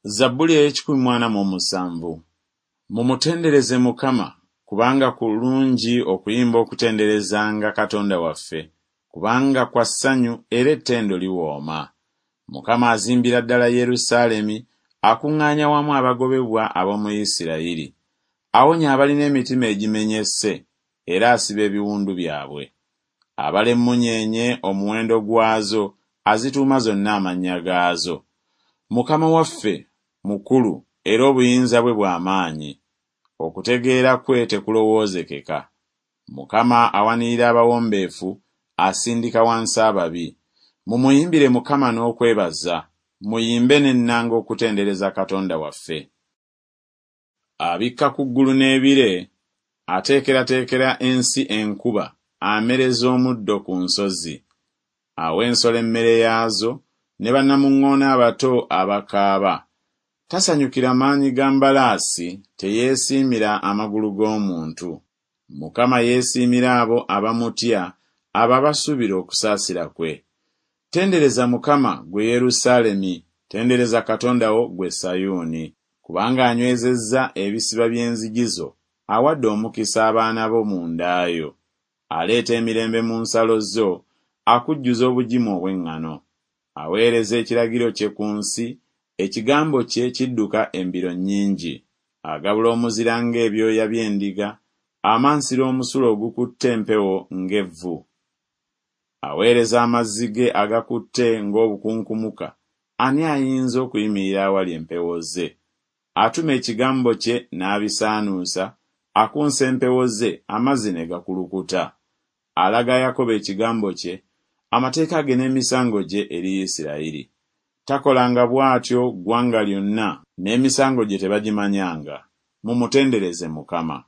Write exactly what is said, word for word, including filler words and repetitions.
Zabbuli ey'ekikumi mu ana mu musanvu. Mumutendereze Mukama, kubanga kulungi okuyimba okutenderezanga Katonda waffe, kubanga kwa ssanyu era ettendo liwooma. Mukama azimbira ddala Yerusaalemi, akuŋŋaanya wamu abagobebwa ab'omu Isirayiri. Awonya abalina emitima egimenyese, era asiba ebiwundu byabwe. Abala emmunyeenye omuwendo gwazo, azituuma zonna amannya gaazo. Mukama waffe mukulu era obuyinza bwe bwa maanyi. Okutegeera kwe tekulowoozekeka. Mukama awanirira abawombeefu, asindika wansi ababi. Mumuyimbire Mukama n'okwebaza, muyimbe n'ennanga okutendereza Katonda waffe. Abikka ku ggulu n'ebire, ateekerateekera ensi enkuba, amereza omuddo ku nsozi. Awa ensolo emmere yaazo, ne bannamuŋŋoona abato abakaaba. Tasanyukira maanyi ga mbalaasi, teyeesiimira amagulu g'omuntu. Mukama yeesiimira abo abamutya, abo abasuubira okusaasira kwe. Tendereza Mukama, ggwe Yerusaalemi, tendereza Katonda wo, ggwe Sayuuni. Kubanga anywezezza ebisiba by'enzigi zo, awadde omukisa abaana bo mu nda yo. Aleeta emirembe mu nsalo zo, akujjuza obugimu obw'eŋŋano. Aweereza ekiragiro kye ku nsi, ekigambo kye kidduka embiro nnyingi. Agabula omuzira ng'ebyoya by'endiga, amansira omusulo ogukutte empewo ng'evvu. Aweereza amazzi ge agakutte ng'obukunkumuka, ani ayinza okuyimirira awali empewo ze? Atuma ekigambo kye n'abisaanuusa, akunsa empewo ze, amazzi ne gakulukuta. Alaga Yakobo ekigambo kye, amateeka ge n'emisango gye eri Isirayiri. Takolanga bw'atyo ggwanga lyonna, n'emisango gye tebagimanyanga. Mumutendereze Mukama.